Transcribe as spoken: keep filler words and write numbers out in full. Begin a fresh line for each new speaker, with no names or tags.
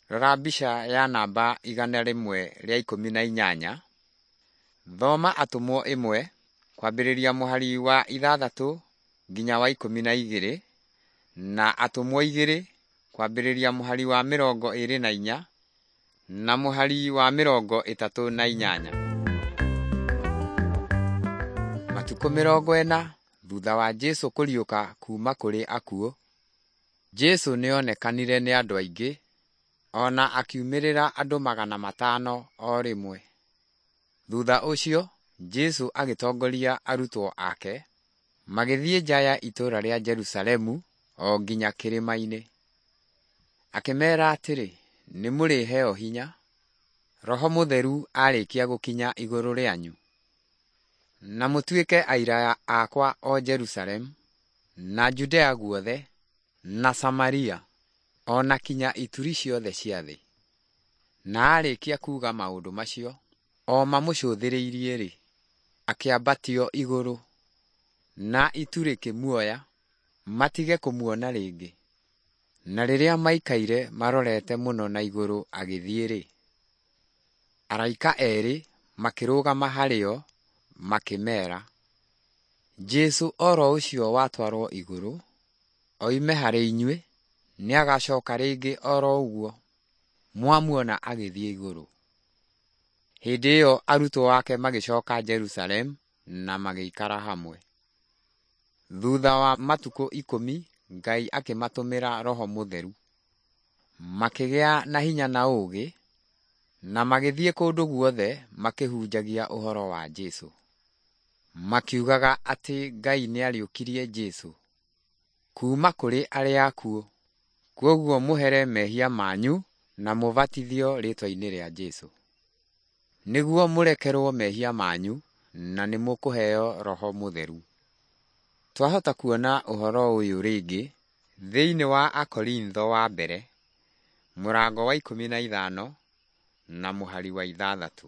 Rora mbica ya namba igana rĩmwe rĩa ikũmi na inyanya. Thoma Atũmwo ĩmwe kwambĩrĩria mũhari wa ithathatũ nginya wa ikũmi na igĩrĩ, na Atũmwo igĩrĩ kwambĩrĩria mũhari wa mĩrongo ĩrĩ na inya na mũhari wa mĩrongo ĩtatũ na inyanya. Matukũ mĩrongo ĩna thutha wa Jesũ kũriũka kuuma kũrĩ akuũ, Jesũ nĩonekanire nĩ andũ aingĩ, o na akiumĩrĩra andũ magana matano o rĩmwe. Thutha ũcio Jesũ agĩtongoria arutwo ake magĩthiĩ nja ya itũũra rĩa Jerusalemu o nginya kĩrĩma-inĩ. Akĩmeera atĩrĩ, “Nĩmũrĩheo hinya, Roho Mũtheru aarĩkia gũkinya igũrũ rĩanyu, na mũtuĩke aira akwa o Jerusalemu, na Judea guothe, na Samaria, o na kinya ituri ciothe cia thĩ.” Na aarĩkia kuuga maũndũ macio, o mamũcũthĩrĩirie-rĩ, akĩambatio igũrũ, na itu rĩkĩmuoya matige kũmuona rĩngĩ. Na rĩrĩa maikaire marorete mũno na igũrũ agĩthiĩ-rĩ, araika erĩ makĩrũgama harĩ o makĩmeera, Jesũ oro ũcio watwarwo igũrũ, oime harĩ inyuĩ, nĩagacoka rĩngĩ oro ũguo mwamuona agĩthiĩ igũrũ. Hĩndĩ ĩyo arutwo ake magĩcoka Jerusalemu na magĩikara hamwe. Thutha wa matukũ ikũmi Ngai akĩmatũmĩra Roho Mũtheru. Makĩgĩa na hinya na ũũgĩ, na magĩthiĩ kũndũ guothe makĩhunjagia ũhoro wa Jesũ, makiugaga atĩ Ngai nĩariũkirie Jesũ kuuma kũrĩ arĩa akuũ. Kwoguo mũhere mehia manyu na mũbatithio rĩĩtwa-inĩ rĩa Jesũ, nĩguo mũrekerwo mehia manyu na nĩmũkũheo Roho Mũtheru. Twahota kuona ũhoro ũyũ rĩngĩ thĩinĩ wa Akorintho wa mbere mũrango wa ikũmi na ithano na mũhari wa ithathatũ.